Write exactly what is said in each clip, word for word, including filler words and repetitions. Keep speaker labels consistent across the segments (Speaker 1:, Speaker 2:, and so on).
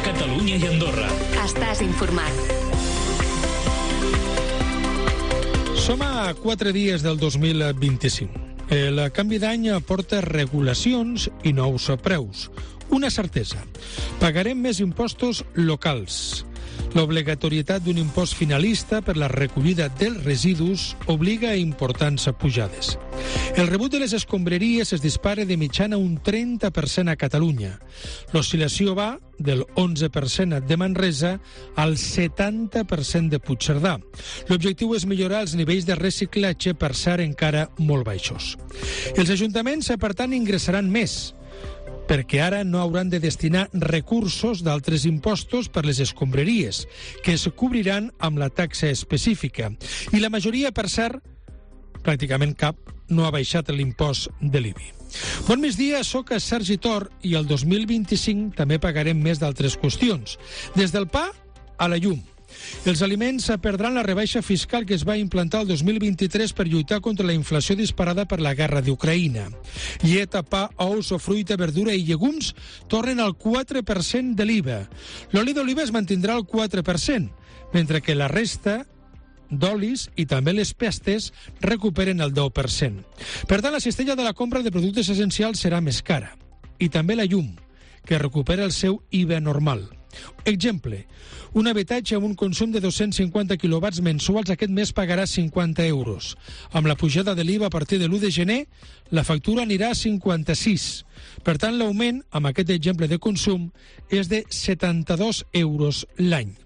Speaker 1: Catalunya i Andorra.
Speaker 2: Estàs informat.
Speaker 3: Som a quatre dies del dos mil vint-i-cinc. El canvi d'any porta regulacions i nous preus. Una certesa: pagarem més impostos locals. L'obligatorietat d'un impost finalista per la recollida dels residus obliga a importants pujades. El rebut de les escombraries es dispara de mitjana un trenta per cent a Catalunya. L'oscil·lació va del onze per cent de Manresa al setanta per cent de Puigcerdà. L'objectiu és millorar els nivells de reciclatge, per cert encara molt baixos. Els ajuntaments, per tant, ingressaran més, perquè ara no hauran de destinar recursos d'altres impostos per les escombraries, que es cobriran amb la taxa específica. I la majoria, per cert, pràcticament cap, no ha baixat l'impost de l'I B I. Bon migdia, soc Sergi Tor i el dos mil vint-i-cinc també pagarem més d'altres qüestions, des del pa a la llum. Els aliments perdran la rebaixa fiscal que es va implantar el dos mil vint-i-tres per lluitar contra la inflació disparada per la guerra d'Ucraïna. Llet, pa, ous o fruita, verdura i llegums tornen al quatre per cent de l'I V A. L'oli d'oliva es mantindrà al quatre per cent, mentre que la resta d'olis i també les pestes recuperen el deu per cent. Per tant, la cistella de la compra de productes essencials serà més cara. I també la llum, que recupera el seu I V A normal. Exemple: un habitatge amb un consum de dos-cents cinquanta quilowatts mensuals aquest mes pagarà cinquanta euros. Amb la pujada de l'I V A a partir de l'u de gener, la factura anirà a cinquanta-sis. Per tant, l'augment, amb aquest exemple de consum, és de setanta-dos euros l'any.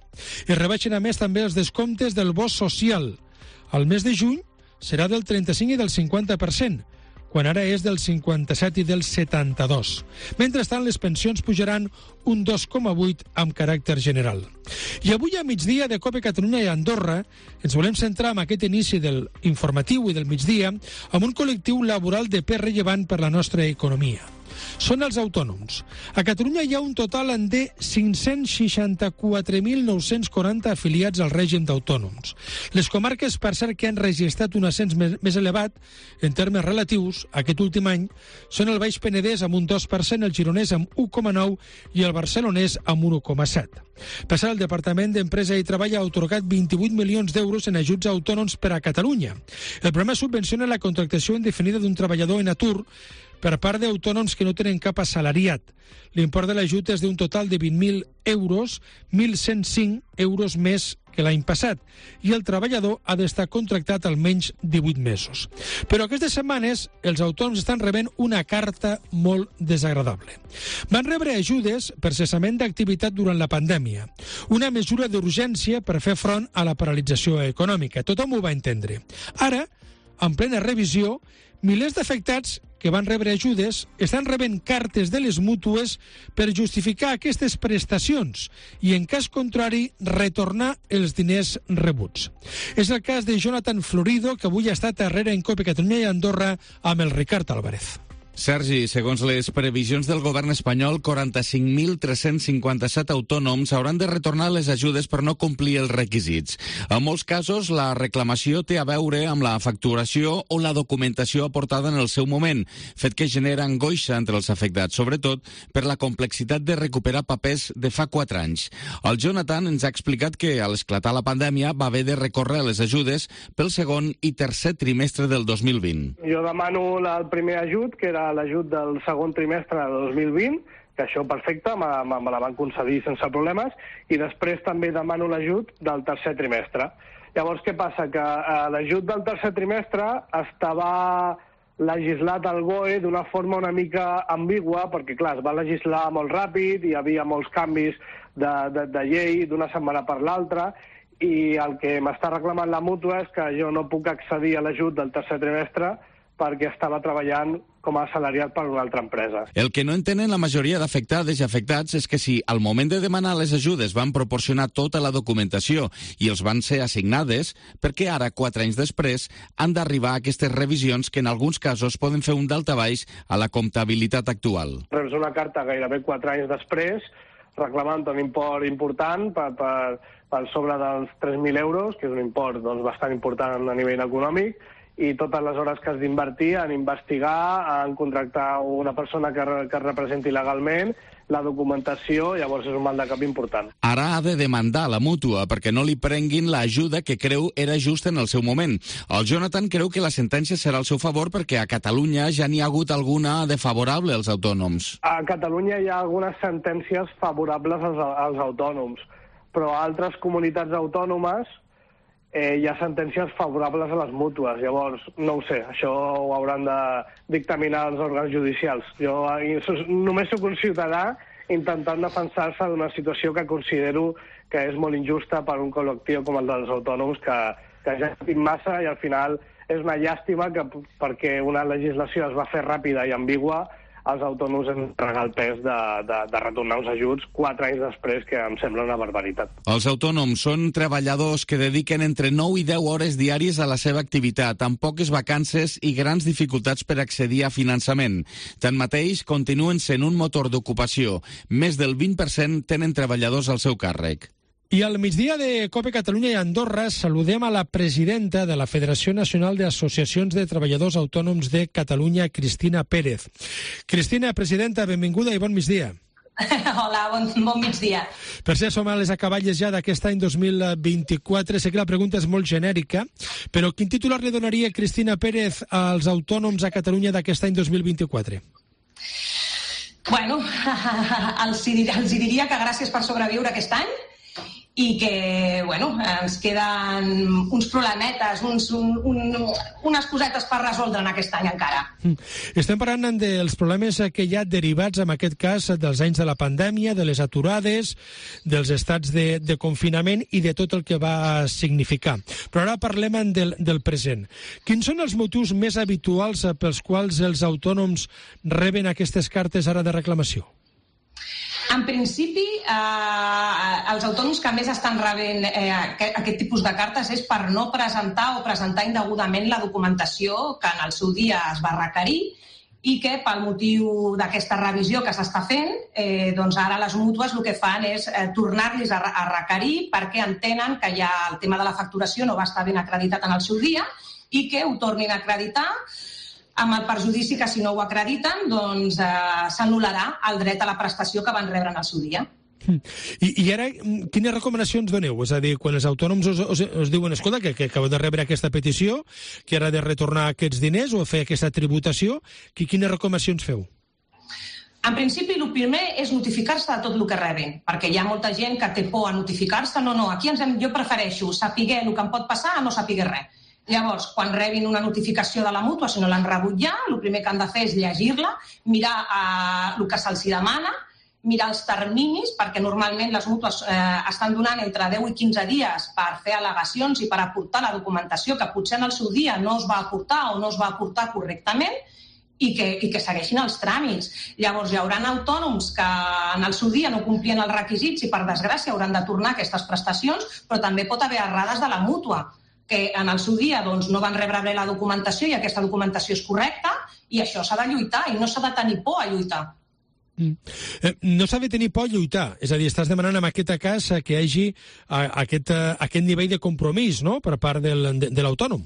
Speaker 3: Es rebaixen a més també els descomptes del bo social. Al mes de juny serà del trenta-cinc i del cinquanta per cent, quan ara és del cinquanta-set i del setanta-dos. Mentrestant, les pensions pujaran un dos coma vuit amb caràcter general. I avui a migdia de Cope Catalunya i Andorra ens volem centrar en aquest inici del informatiu i del migdia amb un col·lectiu laboral de pes rellevant per la nostra economia. Són els autònoms. A Catalunya hi ha un total de cinc-cents seixanta-quatre mil nou-cents quaranta afiliats al règim d'autònoms. Les comarques, per cert, que han registrat un ascens més elevat en termes relatius aquest últim any són el Baix Penedès amb un dos per cent, el Gironès amb un coma nou i el Barcelonès amb un un coma set. Per cert, el Departament d'Empresa i Treball ha atorgat vint-i-vuit milions d'euros en ajuts a autònoms per a Catalunya. El programa subvenciona la contractació indefinida d'un treballador en atur per part d'autònoms que no tenen cap assalariat. L'import de l'ajut és d'un total de vint mil euros, mil cent cinc euros més que l'any passat, i el treballador ha d'estar contractat almenys divuit mesos. Però aquestes setmanes els autònoms estan rebent una carta molt desagradable. Van rebre ajudes per cessament d'activitat durant la pandèmia, una mesura d'urgència per fer front a la paralització econòmica. Tothom ho va entendre. Ara, en plena revisió, milers d'afectats que van rebre ajudes estan rebent cartes de les mútues per justificar aquestes prestacions i, en cas contrari, retornar els diners rebuts. És el cas de Jonathan Florido, que avui ha estat darrere en Cope Catalunya i Andorra amb el Ricard Álvarez.
Speaker 4: Sergi, segons les previsions del govern espanyol, quaranta-cinc mil tres-cents cinquanta-set autònoms hauran de retornar les ajudes per no complir els requisits. En molts casos, la reclamació té a veure amb la facturació o la documentació aportada en el seu moment, fet que genera angoixa entre els afectats, sobretot per la complexitat de recuperar papers de fa quatre anys. El Jonathan ens ha explicat que, a l'esclatar la pandèmia, va haver de recórrer a les ajudes pel segon i tercer trimestre del dos mil vint.
Speaker 5: Jo demano el primer ajut, que era l'ajut del segon trimestre de dos mil vint, que això perfecte, me, me, me la van concedir sense problemes, i després també demano l'ajut del tercer trimestre. Llavors, què passa? Que eh, l'ajut del tercer trimestre estava legislat al B O E d'una forma una mica ambigua, perquè, clar, es va legislar molt ràpid, hi havia molts canvis de, de, de llei d'una setmana per l'altra, i el que m'està reclamant la mútua és que jo no puc accedir a l'ajut del tercer trimestre perquè estava treballant com a assalariat per una altra empresa.
Speaker 4: El que no entenen la majoria d'afectades i afectats és que si al moment de demanar les ajudes van proporcionar tota la documentació i els van ser assignades, perquè ara, quatre anys després, han d'arribar a aquestes revisions que en alguns casos poden fer un daltabaix a la comptabilitat actual.
Speaker 5: Reps una carta gairebé quatre anys després reclamant un import important per, per, per sobre dels tres mil euros, que és un import doncs, bastant important a nivell econòmic, i totes les hores que has d'invertir en investigar, en contractar una persona que, que es representi legalment, la documentació, llavors és un mal de cap important.
Speaker 4: Ara ha de demandar la mútua perquè no li prenguin l'ajuda que creu era just en el seu moment. El Jonathan creu que la sentència serà al seu favor perquè a Catalunya ja n'hi ha hagut alguna de favorable als autònoms.
Speaker 5: A Catalunya hi ha algunes sentències favorables als, als autònoms, però a altres comunitats autònomes eh, hi ha sentències favorables a les mútues. Llavors, no ho sé, això ho hauran de dictaminar els òrgans judicials. Jo només soc un ciutadà intentant defensar-se d'una situació que considero que és molt injusta per un col·lectiu com el dels autònoms, que, que ja ha patit massa i al final és una llàstima que perquè una legislació es va fer ràpida i ambigua, els autònoms han de pagar el pes de, de, de retornar uns ajuts quatre anys després, que em sembla una barbaritat.
Speaker 4: Els autònoms són treballadors que dediquen entre nou i deu hores diàries a la seva activitat, amb poques vacances i grans dificultats per accedir a finançament. Tanmateix, continuen sent un motor d'ocupació. Més del vint per cent tenen treballadors al seu càrrec.
Speaker 3: I al migdia de COPE Catalunya i Andorra saludem a la presidenta de la Federació Nacional d'Associacions de Treballadors Autònoms de Catalunya, Cristina Pérez. Cristina, presidenta, benvinguda i bon migdia.
Speaker 1: Hola, bon, bon migdia.
Speaker 3: Per ser som a les acaballes ja d'aquest any dos mil vint-i-quatre, sé que la pregunta és molt genèrica, però quin titular li donaria Cristina Pérez als autònoms a Catalunya d'aquest any dos mil vint-i-quatre?
Speaker 1: Bueno, els, els diria que gràcies per sobreviure aquest any, i que, bueno, ens queden uns problemetes, uns, un, un, unes cosetes per resoldre en aquest any encara.
Speaker 3: Estem parlant dels problemes que hi ha derivats, en aquest cas, dels anys de la pandèmia, de les aturades, dels estats de, de confinament i de tot el que va significar. Però ara parlem del, del present. Quins són els motius més habituals pels quals els autònoms reben aquestes cartes ara de reclamació?
Speaker 1: En principi, eh, els autònoms que més estan rebent eh, aquest tipus de cartes és per no presentar o presentar indegudament la documentació que en el seu dia es va requerir i que pel motiu d'aquesta revisió que s'està fent, eh, doncs ara les mútues el que fan és eh, tornar-los a, a requerir perquè entenen que ja el tema de la facturació no va estar ben acreditat en el seu dia i que ho tornin a acreditar amb el perjudici que si no ho acrediten doncs eh, s'anul·larà el dret a la prestació que van rebre en el seu dia.
Speaker 3: I, I ara, quines recomanacions doneu? És a dir, quan els autònoms us, us, us diuen, escolta, que, que acabeu de rebre aquesta petició, que ara de retornar aquests diners o fer aquesta tributació, que, quines recomanacions feu?
Speaker 1: En principi, el primer és notificar-se de tot el que rebin, perquè hi ha molta gent que té por a notificar-se. No, no, aquí ens hem, jo prefereixo saber el que em pot passar a no saber res. Llavors, quan rebin una notificació de la mútua, si no l'han rebut ja, el primer que han de fer és llegir-la, mirar eh, el que se'ls demana, mirar els terminis, perquè normalment les mútues eh, estan donant entre deu i quinze dies per fer al·legacions i per aportar la documentació que potser en el seu dia no es va aportar o no es va aportar correctament i que, i que segueixin els tràmits. Llavors, hi haurà autònoms que en el seu dia no complien els requisits i, per desgràcia, hauran de tornar aquestes prestacions, però també pot haver errades de la mútua, que en el seu dia doncs, no van rebre bé la documentació i aquesta documentació és correcta i això s'ha de lluitar i no s'ha de tenir por a lluitar.
Speaker 3: Mm. Eh, no s'ha de tenir por a lluitar, és a dir, estàs demanant en aquest cas que hi hagi a, aquest, a, aquest nivell de compromís, no?, per part del, de, de l'autònom.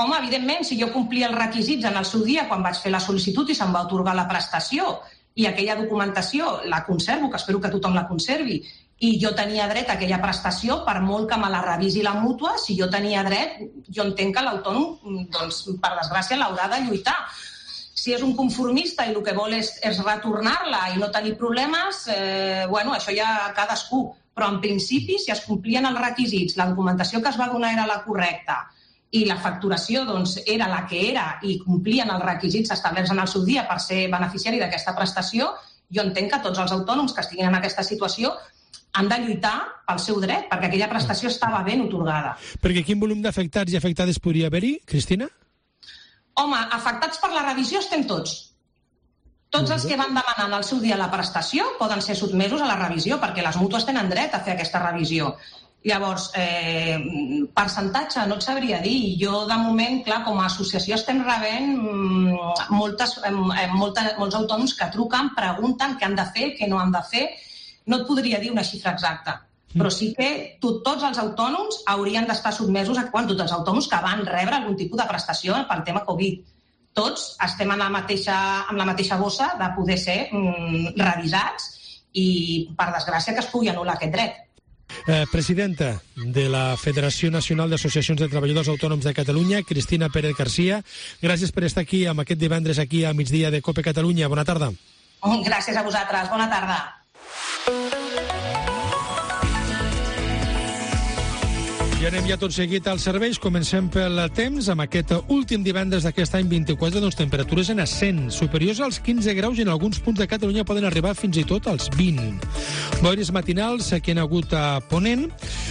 Speaker 1: Home, evidentment, si jo complia els requisits en el seu dia quan vaig fer la sol·licitud i se'm va atorgar la prestació i aquella documentació la conservo, que espero que tothom la conservi, i jo tenia dret a aquella prestació, per molt que me la revisi la mútua, si jo tenia dret, jo entenc que l'autònom, doncs, per desgràcia, l'haurà de lluitar. Si és un conformista i el que vol és, és retornar-la i no tenir problemes, eh, bueno, això ja cadascú. Però en principi, si es complien els requisits, la documentació que es va donar era la correcta i la facturació doncs, era la que era i complien els requisits establerts en el seu dia per ser beneficiari d'aquesta prestació, jo entenc que tots els autònoms que estiguin en aquesta situació han de lluitar pel seu dret, perquè aquella prestació estava ben atorgada.
Speaker 3: Perquè quin volum d'afectats i afectades podria haver-hi, Cristina?
Speaker 1: Home, afectats per la revisió estem tots. Tots els que van demanar en el seu dia la prestació poden ser sotmesos a la revisió, perquè les mútues tenen dret a fer aquesta revisió. Llavors, eh, percentatge no et sabria dir. Jo, de moment, clar, com a associació estem rebent moltes, eh, molta, molts autònoms que truquen, pregunten què han de fer, què no han de fer. No et podria dir una xifra exacta. però sí que tot, tots els autònoms haurien d'estar sotmesos a quan tots els autònoms que van rebre algun tipus de prestació pel tema Covid. Tots estem en la mateixa, amb la mateixa bossa de poder ser mm, revisats i, per desgràcia, que es pugui anul·lar aquest dret.
Speaker 3: Eh, presidenta de la Federació Nacional d'Associacions de Treballadors Autònoms de Catalunya, Cristina Pérez García, gràcies per estar aquí amb aquest divendres aquí a migdia de COPE Catalunya. Bona tarda.
Speaker 1: Gràcies a vosaltres. Bona tarda.
Speaker 3: I anem ja tot seguit als serveis. Comencem pel temps. Amb aquest últim divendres d'aquest any vint-i-quatre, doncs, temperatures en ascens, superiors als quinze graus i en alguns punts de Catalunya poden arribar fins i tot als vint. Boires matinals que han hagut a Ponent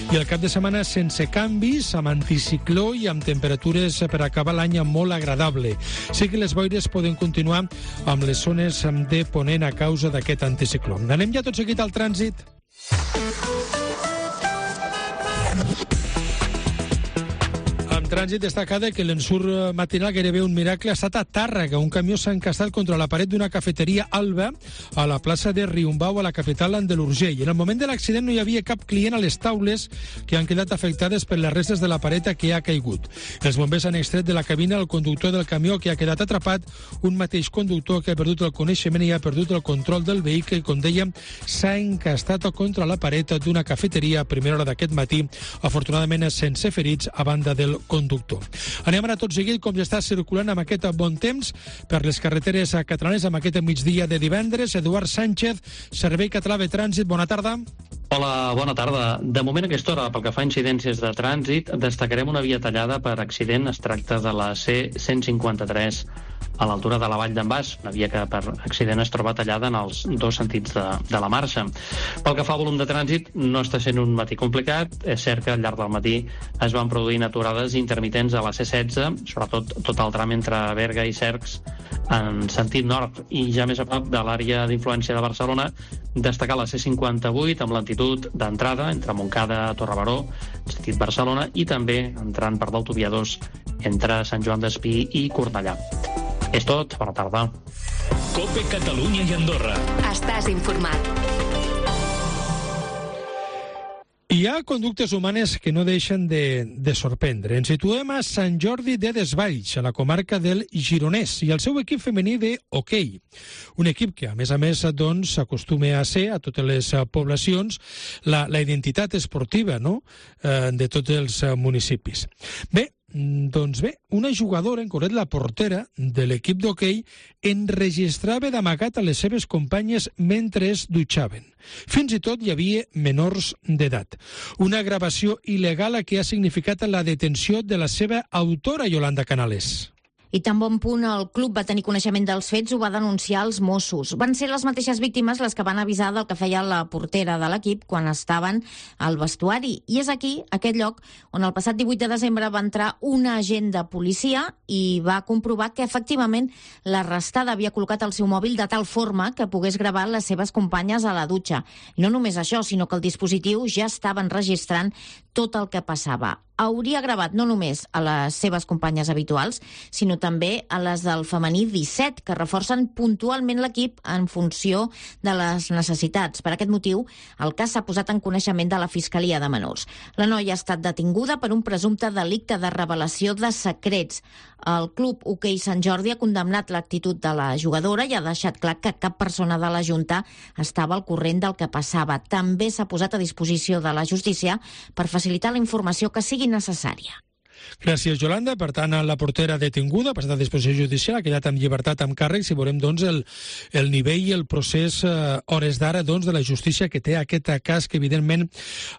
Speaker 3: i el cap de setmana sense canvis, amb anticicló i amb temperatures per acabar l'any molt agradable. Sí que les boires poden continuar amb les zones de Ponent a causa d'aquest anticicló. Anem ja tot seguit al trànsit. Trànsit destacada que l'ensurt matinal gairebé un miracle ha estat a Tàrrega. Un camió s'ha encastat contra la paret d'una cafeteria Alba a la plaça de Riumbau, a la capital de l'Urgell. En el moment de l'accident no hi havia cap client a les taules que han quedat afectades per les restes de la pareta que ha caigut. Els bombers han extret de la cabina el conductor del camió que ha quedat atrapat, un mateix conductor que ha perdut el coneixement i ha perdut el control del vehicle i, com dèiem, s'ha encastat contra la paret d'una cafeteria a primera hora d'aquest matí, afortunadament sense ferits a banda del conductor. conductor. Anem ara tot seguit com ja està circulant amb aquest bon temps per les carreteres catalanes amb aquest migdia de divendres. Eduard Sánchez, Servei Català de Trànsit, bona tarda.
Speaker 2: Hola, bona tarda. De moment a aquesta hora, pel que fa a incidències de trànsit, destacarem una via tallada per accident. Es tracta de la C cent cinquanta-tres a l'altura de la Vall d'en Bas, una via que per accident es troba tallada en els dos sentits de, de la marxa. Pel que fa a volum de trànsit, no està sent un matí complicat. És cert que al llarg del matí es van produint aturades intermitents a la C setze, sobretot tot el tram entre Berga i Cercs en sentit nord, i ja més a prop de l'àrea d'influència de Barcelona, destacar la C cinquanta-vuit amb lentitud d'entrada entre Montcada a Torrebaró, en sentit Barcelona, i també entrant per l'autovia dos entre Sant Joan d'Espí i Cornellà. És tot, bona tarda.
Speaker 6: COPE Catalunya i Andorra.
Speaker 7: Estàs informat.
Speaker 3: Hi ha conductes humanes que no deixen de, de sorprendre. Ens situem a Sant Jordi de Desvalls, a la comarca del Gironès, i el seu equip femení de hoquei. Un equip que, a més a més, doncs, s'acostuma a ser, a totes les poblacions, la, la identitat esportiva, no?, eh, de tots els municipis. Bé, doncs bé, una jugadora, en concret la portera de l'equip d'hoquei, enregistrava d'amagat a les seves companyes mentre es dutxaven. Fins i tot hi havia menors d'edat. Una gravació il·legal que ha significat la detenció de la seva autora, Yolanda Canales.
Speaker 8: I tan bon punt el club va tenir coneixement dels fets, ho va denunciar als Mossos. Van ser les mateixes víctimes les que van avisar del que feia la portera de l'equip quan estaven al vestuari. I és aquí, aquest lloc, on el passat divuit de desembre va entrar un agent de policia i va comprovar que efectivament l'arrestada havia col·locat el seu mòbil de tal forma que pogués gravar les seves companyes a la dutxa. I no només això, sinó que el dispositiu ja estava enregistrant tot el que passava. Hauria gravat no només a les seves companyes habituals, sinó també a les del femení disset, que reforcen puntualment l'equip en funció de les necessitats. Per aquest motiu, el cas s'ha posat en coneixement de la Fiscalia de Menors. La noia ha estat detinguda per un presumpte delicte de revelació de secrets. El club Hoquei Sant Jordi ha condemnat l'actitud de la jugadora i ha deixat clar que cap persona de la Junta estava al corrent del que passava. També s'ha posat a disposició de la justícia per facilitar la informació que sigui necessària.
Speaker 3: Gràcies, Yolanda. Per tant, la portera detinguda, ha passat a disposició judicial, ha quedat amb llibertat amb càrrecs i veurem doncs, el, el nivell i el procés eh, hores d'ara doncs, de la justícia que té aquest cas que evidentment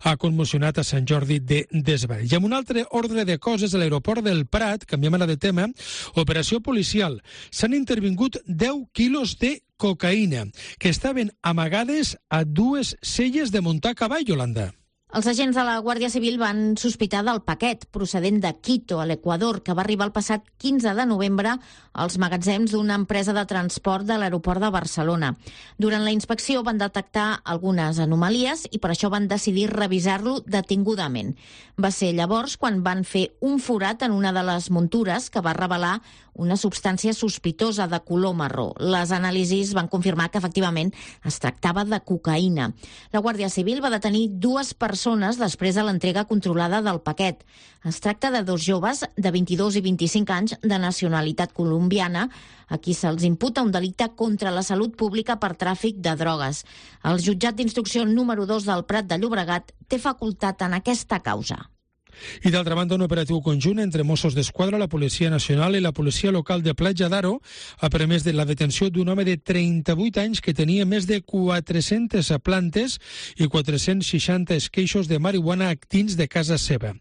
Speaker 3: ha commocionat a Sant Jordi de Desvalls. I amb un altre ordre de coses, a l'aeroport del Prat, canviem ara de tema, operació policial. S'han intervingut deu quilos de cocaïna que estaven amagades a dues selles de muntar a cavall, Yolanda.
Speaker 8: Els agents de la Guàrdia Civil van sospitar del paquet procedent de Quito, a l'Equador, que va arribar el passat quinze de novembre als magatzems d'una empresa de transport de l'aeroport de Barcelona. Durant la inspecció van detectar algunes anomalies i per això van decidir revisar-lo detingudament. Va ser llavors quan van fer un forat en una de les muntures que va revelar una substància sospitosa de color marró. Les anàlisis van confirmar que efectivament es tractava de cocaïna. La Guàrdia Civil va detenir dues persones després de l'entrega controlada del paquet. Es tracta de dos joves de vint-i-dos i vint-i-cinc anys de nacionalitat colombiana a qui se'ls imputa un delicte contra la salut pública per tràfic de drogues. El jutjat d'instrucció número dos del Prat de Llobregat té facultat en aquesta causa.
Speaker 3: I d'altra banda, un operatiu conjunt entre Mossos d'Esquadra, la Policia Nacional i la Policia Local de Platja d'Aro ha permès de la detenció d'un home de trenta-vuit anys que tenia més de quatre-centes plantes i quatre-cents seixanta esqueixos de marihuana actins de casa seva.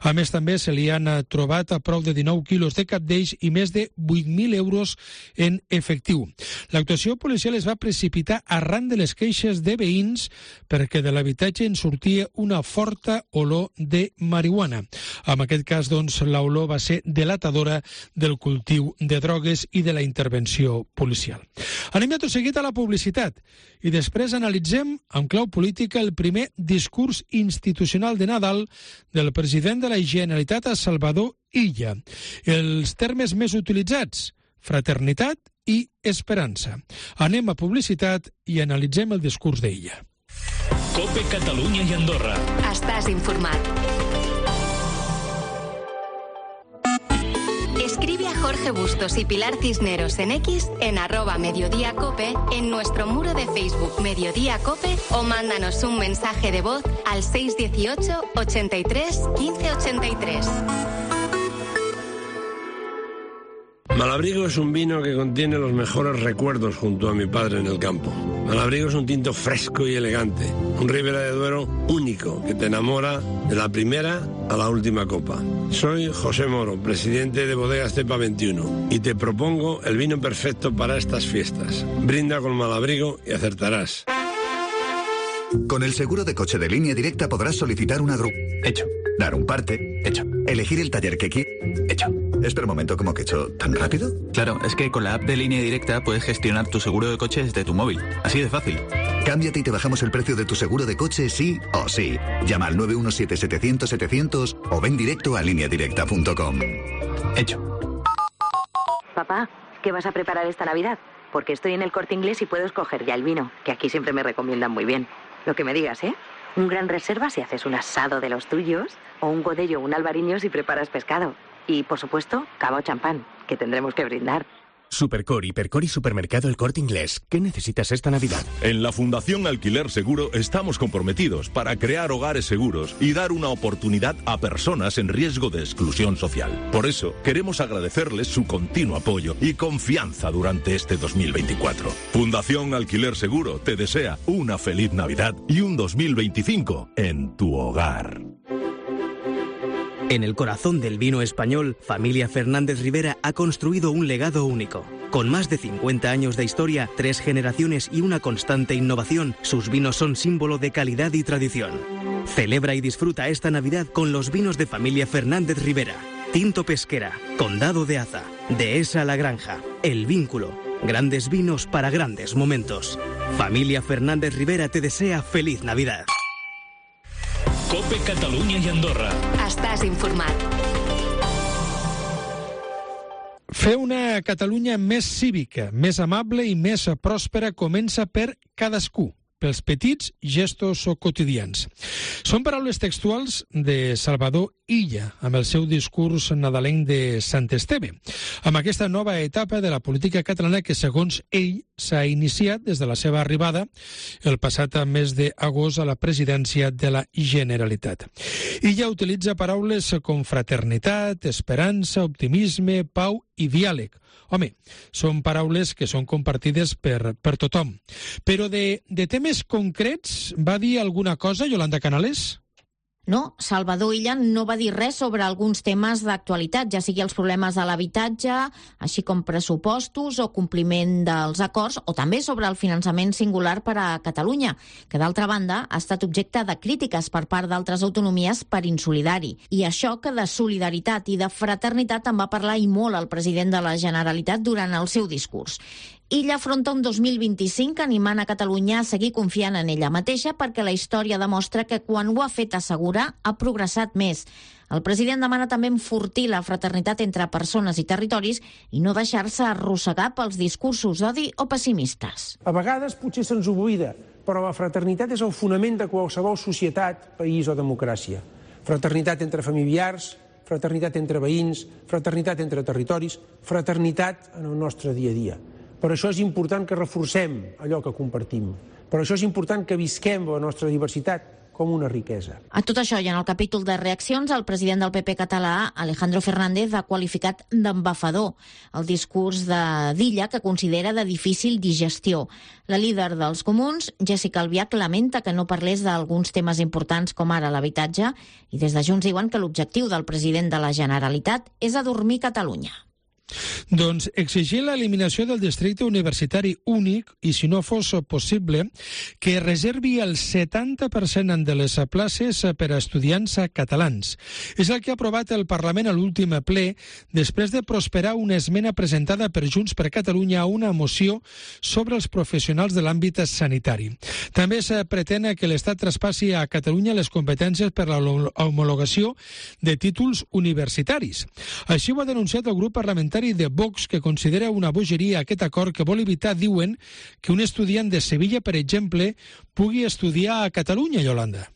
Speaker 3: A més, també se li han trobat a prop de dinou quilos de cabdells i més de vuit mil euros en efectiu. L'actuació policial es va precipitar arran de les queixes de veïns perquè de l'habitatge en sortia una forta olor de marihuana. En aquest cas, doncs, l'olor va ser delatadora del cultiu de drogues i de la intervenció policial. Anem ja tot seguit a la publicitat i després analitzem amb clau política el primer discurs institucional de Nadal del president de la Generalitat a Salvador Illa. Els termes més utilitzats, fraternitat i esperança. Anem a publicitat i analitzem el discurs d'Illa.
Speaker 6: COPE Catalunya i Andorra.
Speaker 7: Estàs informat. Escribe a Jorge Bustos y Pilar Cisneros en X, en arroba Mediodía Cope, en nuestro muro de Facebook Mediodía Cope o mándanos un mensaje de voz al seis dieciocho, ochenta y tres, quince ochenta y tres.
Speaker 9: Malabrigo es un vino que contiene los mejores recuerdos junto a mi padre en el campo. Malabrigo es un tinto fresco y elegante, un Ribera de Duero único que te enamora de la primera a la última copa. Soy José Moro, presidente de Bodegas Cepa veintiuno, y te propongo el vino perfecto para estas fiestas. Brinda con Malabrigo y acertarás.
Speaker 10: Con el seguro de coche de Línea Directa podrás solicitar una grúa.
Speaker 11: Hecho.
Speaker 10: Dar un parte.
Speaker 11: Hecho.
Speaker 10: Elegir el taller que quieras.
Speaker 11: Hecho.
Speaker 10: Espera un momento, ¿cómo que hecho? ¿Tan rápido?
Speaker 11: Claro, es que con la app de Línea Directa puedes gestionar tu seguro de coche desde tu móvil. Así de fácil.
Speaker 10: Cámbiate y te bajamos el precio de tu seguro de coche sí o sí. Llama al nueve uno siete, setecientos, setecientos o ven directo a línea directa punto com.
Speaker 11: Hecho.
Speaker 12: Papá, ¿qué vas a preparar esta Navidad? Porque estoy en el Corte Inglés y puedo escoger ya el vino, que aquí siempre me recomiendan muy bien. Lo que me digas, ¿eh? Un gran reserva si haces un asado de los tuyos, o un godello o un albariño si preparas pescado. Y, por supuesto, cava o champán, que tendremos que brindar.
Speaker 13: Supercor, Hipercor y Supermercado El Corte Inglés. ¿Qué necesitas esta Navidad?
Speaker 14: En la Fundación Alquiler Seguro estamos comprometidos para crear hogares seguros y dar una oportunidad a personas en riesgo de exclusión social. Por eso, queremos agradecerles su continuo apoyo y confianza durante este dos mil veinticuatro. Fundación Alquiler Seguro te desea una feliz Navidad y un dos mil veinticinco en tu hogar.
Speaker 15: En el corazón del vino español, Familia Fernández Rivera ha construido un legado único. Con más de cincuenta años de historia, tres generaciones y una constante innovación, sus vinos son símbolo de calidad y tradición. Celebra y disfruta esta Navidad con los vinos de Familia Fernández Rivera. Tinto Pesquera, Condado de Aza, Dehesa La Granja, El Vínculo. Grandes vinos para grandes momentos. Familia Fernández Rivera te desea feliz Navidad.
Speaker 6: COPE Catalunya i Andorra.
Speaker 7: Estàs informat.
Speaker 3: Fer una Catalunya més cívica, més amable i més pròspera comença per cadascú, pels petits gestos o quotidians. Són paraules textuals de Salvador Illa, amb el seu discurs nadalenc de Sant Esteve, amb aquesta nova etapa de la política catalana que, segons ell, s'ha iniciat des de la seva arribada el passat mes d'agost a la presidència de la Generalitat. Illa utilitza paraules com fraternitat, esperança, optimisme, pau i diàleg. Home, són paraules que són compartides per, per tothom. Però de, de temes concrets va dir alguna cosa, Yolanda Canales?
Speaker 8: No, Salvador Illa no va dir res sobre alguns temes d'actualitat, ja sigui els problemes de l'habitatge, així com pressupostos o compliment dels acords, o també sobre el finançament singular per a Catalunya, que d'altra banda ha estat objecte de crítiques per part d'altres autonomies per insolidari. I això que de solidaritat i de fraternitat en va parlar i molt el president de la Generalitat durant el seu discurs. Illa afronta un dos mil vint-i-cinc animant a Catalunya a seguir confiant en ella mateixa perquè la història demostra que quan ho ha fet assegurar ha progressat més. El president demana també enfortir la fraternitat entre persones i territoris i no deixar-se arrossegar pels discursos d'odi o pessimistes.
Speaker 16: A vegades potser se'ns oblida, però la fraternitat és el fonament de qualsevol societat, país o democràcia. Fraternitat entre familiars, fraternitat entre veïns, fraternitat entre territoris, fraternitat en el nostre dia a dia. Per això és important que reforcem allò que compartim. Per això és important que visquem la nostra diversitat com una riquesa.
Speaker 8: A tot això i en el capítol de reaccions, el president del P P català, Alejandro Fernández, ha qualificat d'embafador el discurs de d'Illa, que considera de difícil digestió. La líder dels comuns, Jessica Albiach, lamenta que no parlés d'alguns temes importants com ara l'habitatge i des de Junts diuen que l'objectiu del president de la Generalitat és adormir Catalunya.
Speaker 3: Doncs exigir l'eliminació del districte universitari únic i, si no fos possible, que reservi el setanta per cent de les places per a estudiants catalans. És el que ha aprovat el Parlament a l'últim ple després de prosperar una esmena presentada per Junts per Catalunya a una moció sobre els professionals de l'àmbit sanitari. També es pretén que l'Estat traspassi a Catalunya les competències per a l'homologació de títols universitaris. Així ho ha denunciat el grup parlamentari de Vox, que considera una bogeria aquest acord que vol evitar, diuen, que un estudiant de Sevilla, per exemple, pugui estudiar a Catalunya, Yolanda.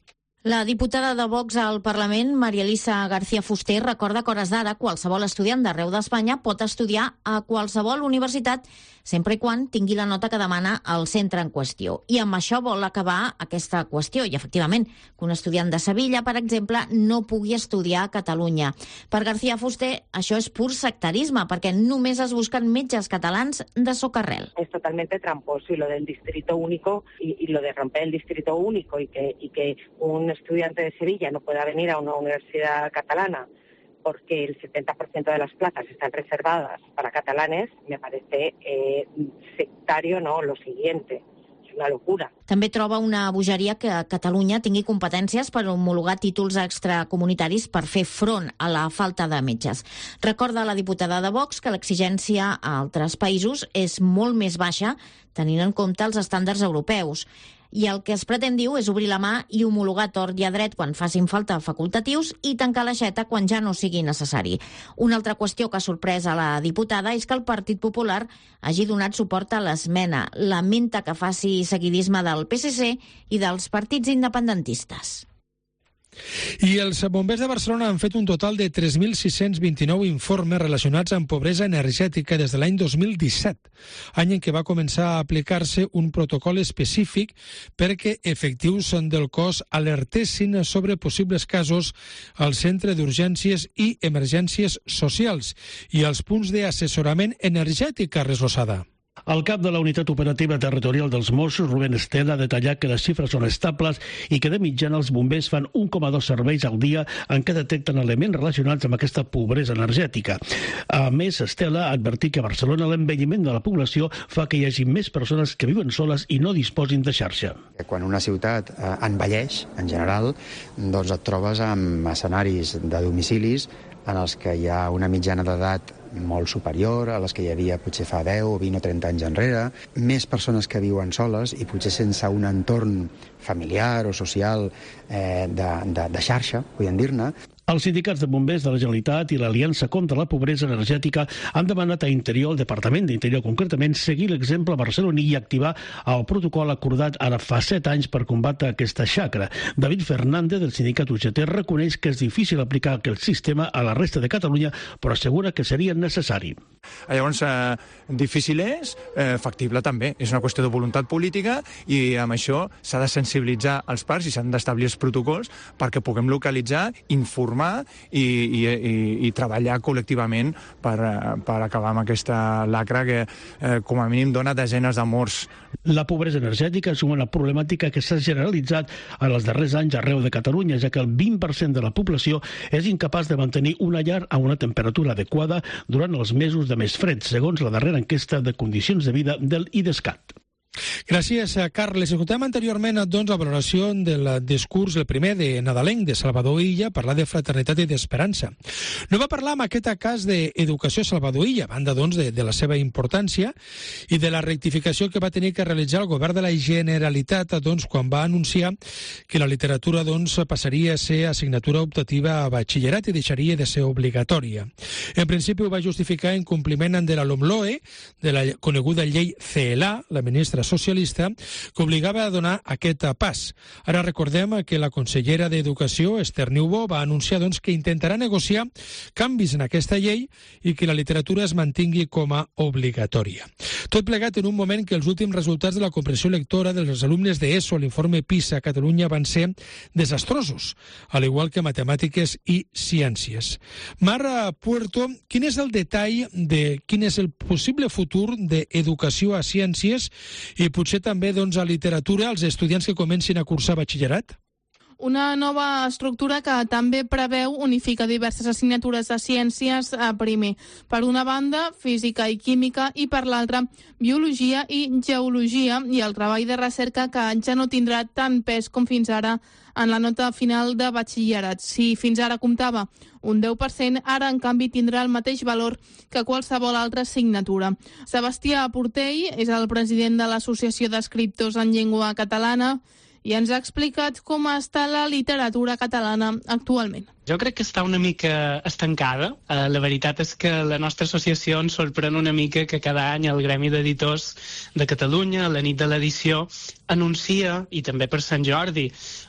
Speaker 8: La diputada de Vox al Parlament, María Elisa García Fuster, recorda que a hores d'ara qualsevol estudiant d'arreu d'Espanya pot estudiar a qualsevol universitat sempre i quan tingui la nota que demana el centre en qüestió. I amb això vol acabar aquesta qüestió. I, efectivament, que un estudiant de Sevilla, per exemple, no pugui estudiar a Catalunya. Per García Fuster, això és pur sectarisme, perquè només es busquen metges catalans de socarrel.
Speaker 17: Es totalmente tramposo, y lo del distrito único, y, y lo de romper el distrito único, y que, y que un estudiante de Sevilla no pueda venir a una universidad catalana porque el setenta por ciento de las plazas están reservadas para catalanes, me parece eh, sectario, no, lo siguiente. És una locura.
Speaker 8: També troba una bogeria que Catalunya tingui competències per homologar títols extracomunitaris per fer front a la falta de metges. Recorda la diputada de Vox que l'exigència a altres països és molt més baixa tenint en compte els estàndards europeus. I el que es pretén, diu, és obrir la mà i homologar tort i a dret quan facin falta facultatius i tancar l'aixeta quan ja no sigui necessari. Una altra qüestió que ha sorprès a la diputada és que el Partit Popular hagi donat suport a l'esmena. Lamenta que faci seguidisme del P S C i dels partits independentistes.
Speaker 3: I els bombers de Barcelona han fet un total de tres mil sis-cents vint-i-nou informes relacionats amb pobresa energètica des de l'any dos mil disset, any en què va començar a aplicar-se un protocol específic perquè efectius del cos alertessin sobre possibles casos al Centre d'Urgències i Emergències Socials i als punts d'assessorament energètic, Carles Losada.
Speaker 18: El cap de la Unitat Operativa Territorial dels Mossos, Rubén Estela, ha detallat que les xifres són estables i que de mitjana els bombers fan un coma dos serveis al dia en què detecten elements relacionats amb aquesta pobresa energètica. A més, Estela ha advertit que a Barcelona l'envelliment de la població fa que hi hagi més persones que viuen soles i no disposin de xarxa.
Speaker 19: Quan una ciutat eh, envelleix, en general, doncs et trobes amb escenaris de domicilis en els que hi ha una mitjana d'edat molt superior a les que hi havia potser fa deu, vint o trenta anys enrere, més persones que viuen soles i potser sense un entorn familiar o social eh, de, de, de xarxa, podem dir-ne.
Speaker 18: Els sindicats de bombers de la Generalitat i l'Aliança contra la Pobresa Energètica han demanat a Interior, el Departament d'Interior concretament, seguir l'exemple barceloní i activar el protocol acordat ara fa set anys per combatre aquesta xacra. David Fernández, del sindicat U G T, reconeix que és difícil aplicar aquest sistema a la resta de Catalunya, però assegura que seria necessari.
Speaker 20: Llavors, eh, difícil és, eh, factible també. És una qüestió de voluntat política i amb això s'ha de sensibilitzar els parts i s'han d'establir els protocols perquè puguem localitzar, informar i, i, i, i treballar col·lectivament per, per acabar amb aquesta lacra que eh, com a mínim dona desenes de morts.
Speaker 18: La pobresa energètica és una problemàtica que s'ha generalitzat en els darrers anys arreu de Catalunya, ja que el vint per cent de la població és incapaç de mantenir una llar a una temperatura adequada durant els mesos de més fred, segons la darrera enquesta de condicions de vida del IDESCAT.
Speaker 3: Gràcies, Carles. Escoltem anteriorment doncs, la valoració del discurs, el primer de nadalenc de Salvador Illa, parlar de fraternitat i d'esperança. No va parlar en aquest cas d'educació Salvador Illa, a banda doncs, de, de la seva importància i de la rectificació que va tenir que realitzar el govern de la Generalitat doncs, quan va anunciar que la literatura doncs, passaria a ser assignatura optativa a batxillerat i deixaria de ser obligatòria. En principi ho va justificar en compliment de la LOMLOE, de la coneguda llei C E L A, la ministra socialista, que obligava a donar aquest pas. Ara recordem que la consellera d'Educació, Esther Niubó, va anunciar doncs, que intentarà negociar canvis en aquesta llei i que la literatura es mantingui com a obligatòria. Tot plegat en un moment que els últims resultats de la comprensió lectora dels alumnes d'ESO a l'informe PISA a Catalunya van ser desastrosos, al igual que matemàtiques i ciències. Mara Puerto, quin és el detall de quin és el possible futur d'educació a ciències i potser també doncs, a literatura als estudiants que comencin a cursar batxillerat?
Speaker 21: Una nova estructura que també preveu unificar diverses assignatures de ciències a primer. Per una banda, física i química, i per l'altra, biologia i geologia, i el treball de recerca que ja no tindrà tant pes com fins ara en la nota final de batxillerat. Si fins ara comptava un deu per cent, ara en canvi tindrà el mateix valor que qualsevol altra assignatura. Sebastià Portell és el president de l'Associació d'Escriptors en Llengua Catalana i ens ha explicat com està la literatura catalana actualment.
Speaker 22: Jo crec que està una mica estancada. Uh, la veritat és que la nostra associació ens sorprèn una mica que cada any el Gremi d'Editors de Catalunya, a la nit de l'edició, anuncia, i també per Sant Jordi,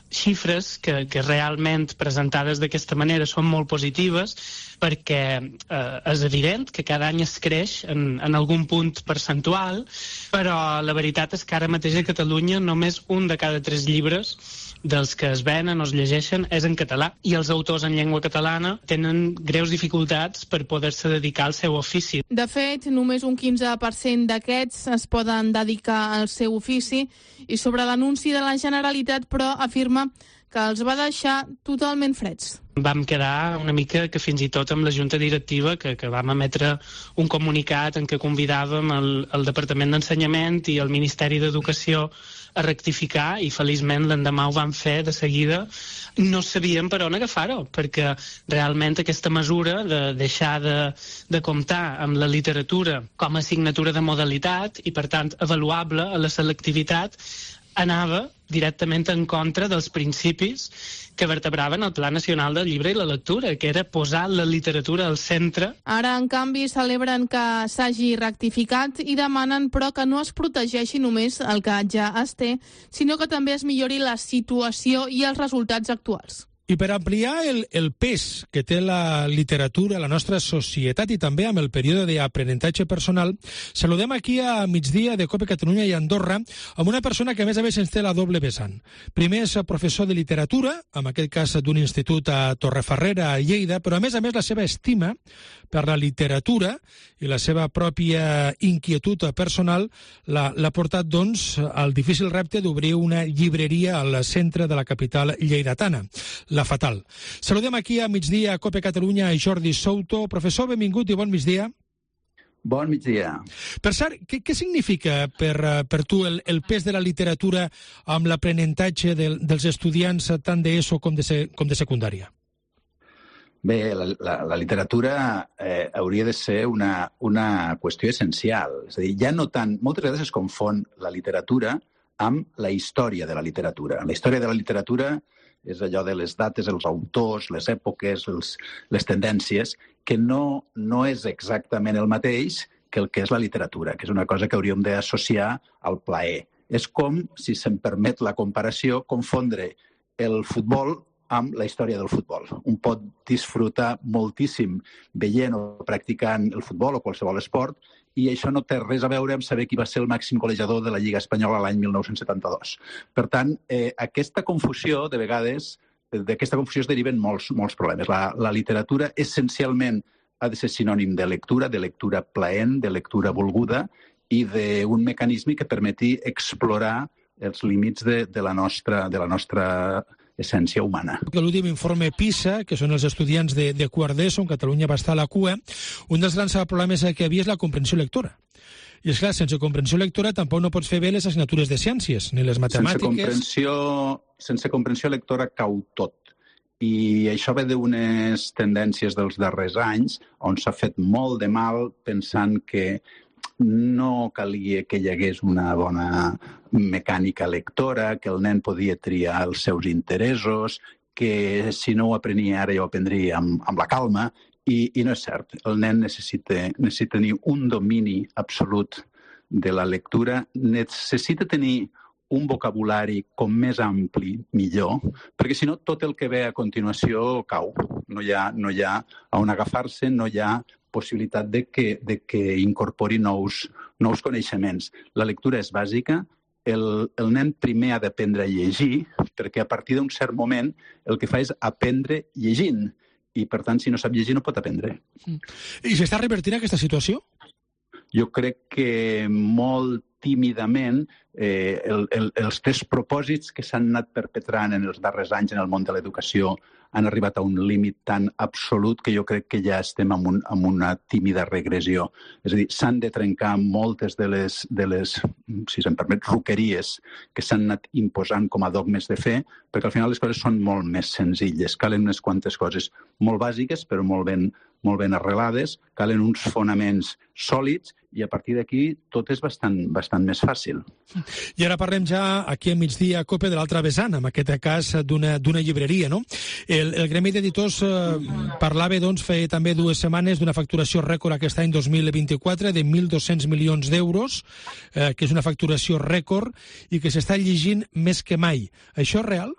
Speaker 22: xifres que, que realment presentades d'aquesta manera són molt positives, perquè eh, és evident que cada any es creix en, en algun punt percentual, però la veritat és que ara mateix a Catalunya només un de cada tres llibres dels que es venen o es llegeixen és en català, i els autors en llengua catalana tenen greus dificultats per poder-se dedicar al seu ofici.
Speaker 21: De fet, només un quinze per cent d'aquests es poden dedicar al seu ofici, i sobre l'anunci de la Generalitat, però, afirma que els va deixar totalment freds.
Speaker 22: Vam quedar una mica que fins i tot amb la Junta Directiva, que, que vam emetre un comunicat en què convidàvem el, el Departament d'Ensenyament i el Ministeri d'Educació a rectificar, i feliçment l'endemà ho van fer de seguida. No sabíem per on agafar-ho, perquè realment aquesta mesura de deixar de, de comptar amb la literatura com a assignatura de modalitat i per tant avaluable a la selectivitat anava directament en contra dels principis que vertebraven el Pla Nacional del Llibre i la Lectura, que era posar la literatura al centre.
Speaker 21: Ara, en canvi, celebren que s'hagi rectificat i demanen, però, que no es protegeixi només el que ja es té, sinó que també es millori la situació i els resultats actuals.
Speaker 3: I per ampliar el, el pes que té la literatura a la nostra societat i també amb el període d'aprenentatge personal, saludem aquí a migdia de COPE Catalunya i Andorra amb una persona que a més a més ens té la doble vessant. Primer és professor de literatura, en aquest cas d'un institut a Torrefarrera, a Lleida, però a més a més la seva estima per la literatura i la seva pròpia inquietud personal l'ha portat doncs al difícil repte d'obrir una llibreria al centre de la capital lleidatana, la Fatal. Saludem aquí a migdia a COPE Catalunya a Jordi Souto. Professor, benvingut i bon migdia.
Speaker 23: Bon migdia.
Speaker 3: Per cert, què, què significa per, per tu el, el pes de la literatura amb l'aprenentatge del, dels estudiants tant d'ESO com de, com de secundària?
Speaker 23: Bé, la, la, la literatura eh, hauria de ser una, una qüestió essencial. És a dir, ja no tant... Moltes vegades es confon la literatura amb la història de la literatura. La història de la literatura és allò de les dates, els autors, les èpoques, els, les tendències, que no, no és exactament el mateix que el que és la literatura, que és una cosa que hauríem d'associar al plaer. És com, si se'm permet la comparació, confondre el futbol amb la història del futbol. Un pot disfrutar moltíssim veient o practicant el futbol o qualsevol esport, i això no té res a veure amb saber qui va ser el màxim golejador de la Lliga Espanyola l'any mil nou-cents setanta-dos. Per tant, eh, aquesta confusió, de vegades, d'aquesta confusió es deriven molts, molts problemes. La, la literatura, essencialment, ha de ser sinònim de lectura, de lectura plaent, de lectura volguda, i d'un mecanisme que permeti explorar els límits de, de, la, nostra, de la nostra essència humana.
Speaker 3: L'últim informe PISA, que són els estudiants de, de quart d'ESO, on Catalunya va estar a la cua, un dels grans problemes que hi havia és la comprensió lectora. I, esclar, sense comprensió lectora tampoc no pots fer bé les assignatures de ciències, ni les matemàtiques...
Speaker 23: Sense comprensió, sense comprensió lectora cau tot. I això ve d'unes tendències dels darrers anys on s'ha fet molt de mal pensant que no calia que hi hagués una bona mecànica lectora, que el nen podia triar els seus interessos, que si no ho aprenia ara ja ho aprendria amb, amb la calma, i, i no és cert. El nen necessita, necessita tenir un domini absolut de la lectura, necessita tenir un vocabulari com més ampli, millor, perquè si no tot el que ve a continuació cau. No hi ha, no hi ha on agafar-se, no hi ha possibilitat de que, de que incorpori nous, nous coneixements. La lectura és bàsica, el, el nen primer ha d'aprendre a llegir, perquè a partir d'un cert moment el que fa és aprendre llegint, i per tant si no sap llegir no pot aprendre.
Speaker 3: I s'està revertint aquesta situació?
Speaker 23: Jo crec que molt tímidament eh, el, el, els tres propòsits que s'han anat perpetrant en els darrers anys en el món de l'educació han arribat a un límit tan absolut que jo crec que ja estem en, un, en una tímida regressió. És a dir, s'han de trencar moltes de les, de les, si se'm permet, roqueries que s'han anat imposant com a dogmes de fe, perquè al final les coses són molt més senzilles. Calen unes quantes coses molt bàsiques, però molt ben, molt ben arrelades, calen uns fonaments sòlids i a partir d'aquí tot és bastant, bastant més fàcil.
Speaker 3: I ara parlem ja aquí a migdia a COPE de l'altra vessant, en aquest cas d'una llibreria, no? El, el Gremi d'Editors eh, parlava, doncs, feia també dues setmanes d'una facturació rècord aquest any dos mil vint-i-quatre de mil dos-cents milions d'euros, eh, que és una facturació rècord i que s'està llegint més que mai. Això és real?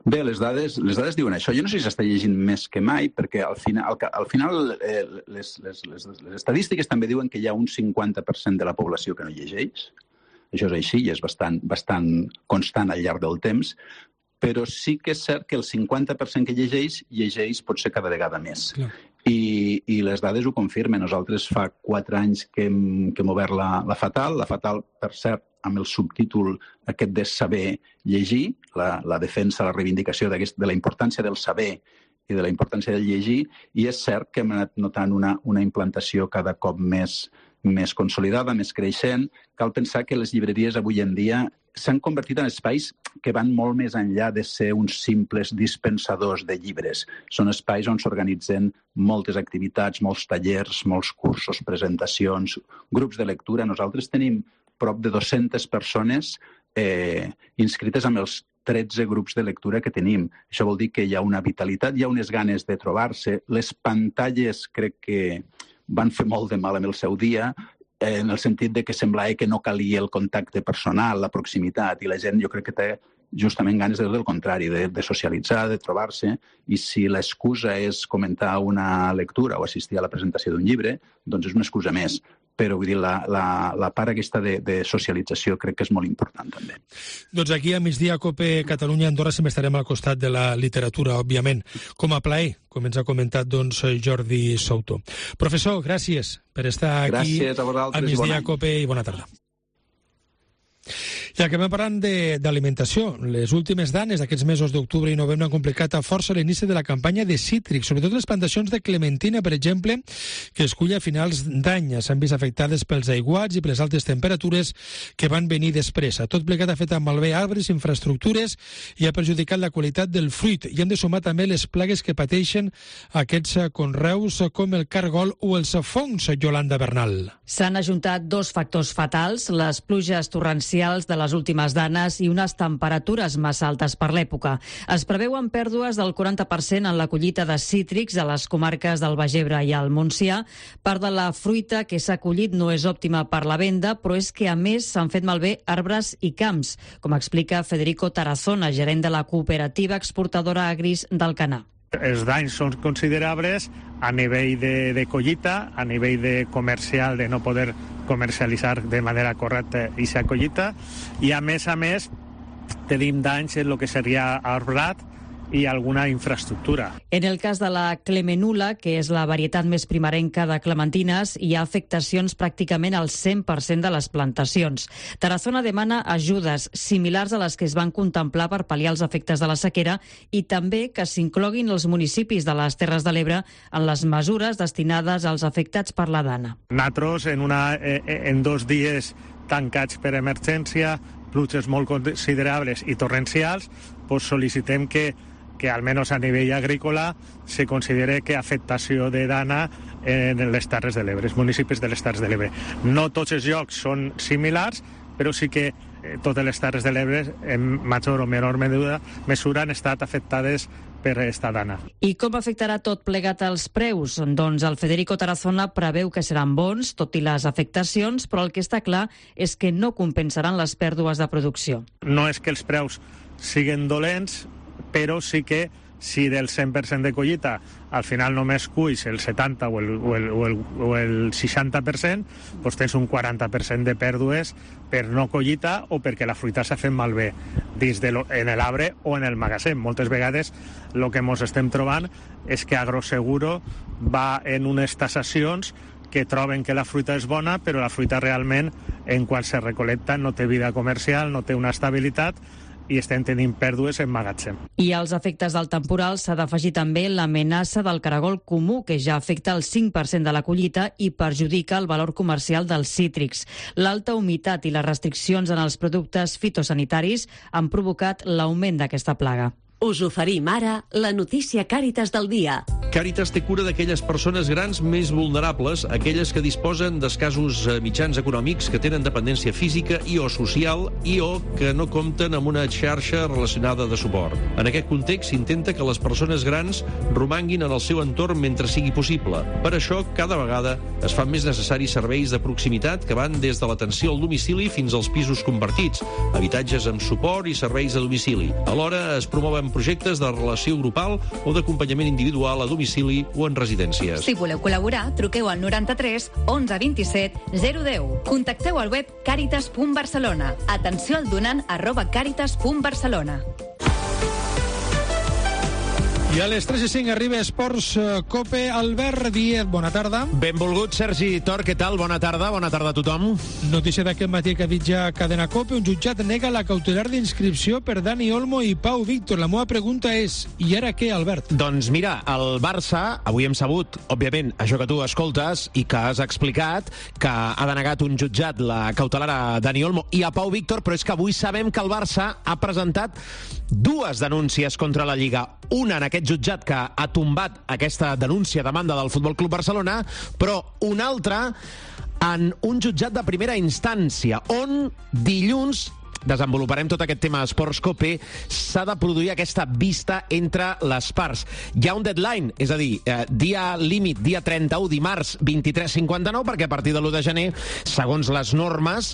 Speaker 23: Bé, les dades, les dades diuen això. Jo no sé si s'està llegint més que mai, perquè al final, al, al final eh, les, les, les, les estadístiques també diuen que hi ha un cinquanta per cent de la població que no llegeix. Això és així i és bastant, bastant constant al llarg del temps, però sí que és cert que el cinquanta per cent que llegeix, llegeix potser cada vegada més. Clar. I, i les dades ho confirmen. Nosaltres fa quatre anys que hem, que hem obert la, la Fatal. La Fatal, per cert, amb el subtítol aquest de saber llegir, la, la defensa, la reivindicació de la importància del saber i de la importància del llegir, i és cert que hem anat notant una, una implantació cada cop més, més consolidada, més creixent. Cal pensar que les llibreries avui en dia s'han convertit en espais que van molt més enllà de ser uns simples dispensadors de llibres. Són espais on s'organitzen moltes activitats, molts tallers, molts cursos, presentacions, grups de lectura. Nosaltres tenim prop de dues-centes persones eh, inscrites amb els tretze grups de lectura que tenim. Això vol dir que hi ha una vitalitat, hi ha unes ganes de trobar-se. Les pantalles crec que van fer molt de mal en el seu dia, eh, en el sentit de que semblava que no calia el contacte personal, la proximitat, i la gent jo crec que té justament ganes de tot el contrari, de, de socialitzar, de trobar-se, i si l'excusa és comentar una lectura o assistir a la presentació d'un llibre, doncs és una excusa més. Però vull dir, la, la, la part aquesta de, de socialització crec que és molt important també.
Speaker 3: Doncs aquí a migdia a COPE Catalunya Andorra sempre estarem al costat de la literatura, òbviament, com a plaer, com ens ha comentat doncs, Jordi Souto. Professor, gràcies per estar aquí
Speaker 23: gràcies a,
Speaker 3: a migdia a COPE i bona tarda. Ja que vam parlant d'alimentació, les últimes danes d'aquests mesos d'octubre i novembre han complicat a força l'inici de la campanya de cítrics, sobretot les plantacions de clementina, per exemple, que es cull a finals d'any. S'han vist afectades pels aiguats i per les altes temperatures que van venir després. Tot plegat ha fet malbé arbres, infraestructures i ha perjudicat la qualitat del fruit. I hem de sumar també les plagues que pateixen aquests conreus com el cargol o els fongs, Yolanda Bernal.
Speaker 1: S'han ajuntat dos factors fatals, les pluges torrencials de les últimes danes i unes temperatures massa altes per l'època. Es preveuen pèrdues del quaranta per cent en la collita de cítrics a les comarques del Baix Ebre i el Montsià. Part de la fruita que s'ha collit no és òptima per la venda, però és que a més s'han fet malbé arbres i camps, com explica Federico Tarazona, gerent de la cooperativa exportadora Agris d'Alcanar.
Speaker 4: Els danys són considerables a nivell de, de collita, a nivell de comercial, de no poder comercialitzar de manera correcta aquesta collita, i a més a més tenim danys en el que seria arbrat i alguna infraestructura.
Speaker 1: En el cas de la Clemenula, que és la varietat més primerenca de clementines, hi ha afectacions pràcticament al cent per cent de les plantacions. Tarazona demana ajudes similars a les que es van contemplar per pal·liar els efectes de la sequera i també que s'incloguin els municipis de les Terres de l'Ebre en les mesures destinades als afectats per la dana.
Speaker 4: Nosaltres, en, una, en dos dies tancats per emergència, pluges molt considerables i torrencials, pues sol·licitem que que almenys a nivell agrícola se considere que afectació de dana en les Terres de l'Ebre, els municipis de les Terres de l'Ebre. No tots els llocs són similars, però sí que totes les Terres de l'Ebre en major o menor mesura han estat afectades per esta dana.
Speaker 1: I com afectarà tot plegat als preus? Doncs el Federico Tarazona preveu que seran bons, tot i les afectacions, però el que està clar és que no compensaran les pèrdues de producció.
Speaker 4: No és que els preus siguin dolents, però sí que si del cent per cent de collita al final només cuis el setanta o el, o el, o el, o el seixanta per cent, doncs tens un quaranta per cent de pèrdues per no collita o perquè la fruita s'ha fet malbé dins de lo, en l'arbre o en el magatzem. Moltes vegades el que ens estem trobant és que Agroseguro va en unes tasacions que troben que la fruita és bona, però la fruita realment, en quan se recolecta, no té vida comercial, no té una estabilitat, i estem tenint pèrdues en magatzem.
Speaker 1: I als efectes del temporal s'ha d'afegir també l'amenaça del caragol comú, que ja afecta el cinc per cent de la collita i perjudica el valor comercial dels cítrics. L'alta humitat i les restriccions en els productes fitosanitaris han provocat l'augment d'aquesta plaga.
Speaker 2: Us oferim ara la notícia Càritas del dia.
Speaker 5: Càritas té cura d'aquelles persones grans més vulnerables, aquelles que disposen d'escassos mitjans econòmics, que tenen dependència física i o social i o que no compten amb una xarxa relacionada de suport. En aquest context s'intenta que les persones grans romanguin en el seu entorn mentre sigui possible. Per això, cada vegada es fan més necessaris serveis de proximitat que van des de l'atenció al domicili fins als pisos compartits, habitatges amb suport i serveis a domicili. Alhora es promouen projectes de relació grupal o d'acompanyament individual a domicili o en residències.
Speaker 9: Si voleu col·laborar, truqueu al noranta-tres onze vint-i-set zero deu. Contacteu al web caritas punt barcelona. Atenció al donant arroba caritas punt barcelona.
Speaker 3: I a les tres i cinc arriba Esports Cope. Albert Díez, bona tarda.
Speaker 24: Benvolgut, Sergi Tor, què tal? Bona tarda, bona tarda a tothom.
Speaker 3: Notícia d'aquest matí que ha dit ja Cadena Cope. Un jutjat nega la cautelar d'inscripció per Dani Olmo i Pau Víctor. La meva pregunta és, i ara què, Albert?
Speaker 24: Doncs mira, el Barça, avui hem sabut, òbviament, això que tu escoltes i que has explicat, que ha denegat un jutjat la cautelar a Dani Olmo i a Pau Víctor, però és que avui sabem que el Barça ha presentat dues denúncies contra la Lliga. Una en aquest jutjat que ha tombat aquesta denúncia a demanda del Futbol Club Barcelona, però una altra en un jutjat de primera instància, on dilluns desenvoluparem tot aquest tema a Esports Cope, s'ha de produir aquesta vista entre les parts. Hi ha un deadline, és a dir, eh, dia límit, dia trenta-u, dimarts, vint-i-tres cinquanta-nou, perquè a partir de l'u de gener, segons les normes,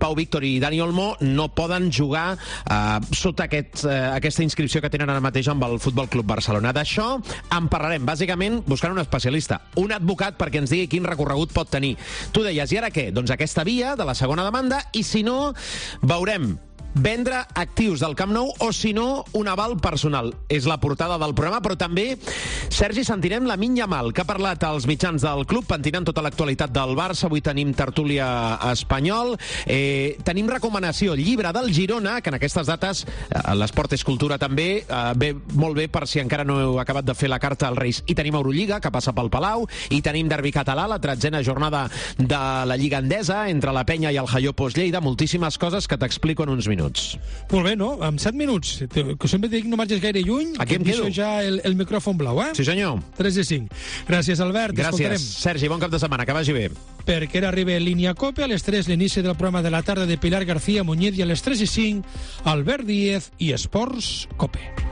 Speaker 24: Pau Víctor i Dani Olmo no poden jugar eh, sota aquest, eh, aquesta inscripció que tenen ara mateix amb el Futbol Club Barcelona. D'això en parlarem, bàsicament, buscant un especialista, un advocat perquè ens digui quin recorregut pot tenir. Tu deies, i ara què? Doncs aquesta via de la segona demanda, i si no, veurem vendre actius del Camp Nou o, si no, un aval personal. És la portada del programa, però també, Sergi, sentirem la Lamine Yamal, que ha parlat als mitjans del club, pentinant tota l'actualitat del Barça. Avui tenim tertúlia espanyol. Eh, tenim recomanació, llibre del Girona, que en aquestes dates, eh, l'esport és cultura també, eh, ve molt bé per si encara no heu acabat de fer la carta als Reis. I tenim Eurolliga, que passa pel Palau, i tenim derbi català, la tretzena jornada de la Lliga Endesa, entre la Penya i el Jaiopos Lleida. Moltíssimes coses que t'explico en uns minuts.
Speaker 3: Molt bé, no? En set minuts. Que sempre dic no marxes gaire lluny.
Speaker 24: Aquí em quedo.
Speaker 3: Ja el, el micròfon blau, eh?
Speaker 24: Sí, senyor.
Speaker 3: tres i cinc. Gràcies, Albert.
Speaker 24: Gràcies, Sergi. Bon cap de setmana. Que vagi bé.
Speaker 3: Perquè ara arriba Línia Cope. A les tres, l'inici del programa de la tarda de Pilar García Muñiz, i a les tres i cinc, Albert Díez i Esports Cope.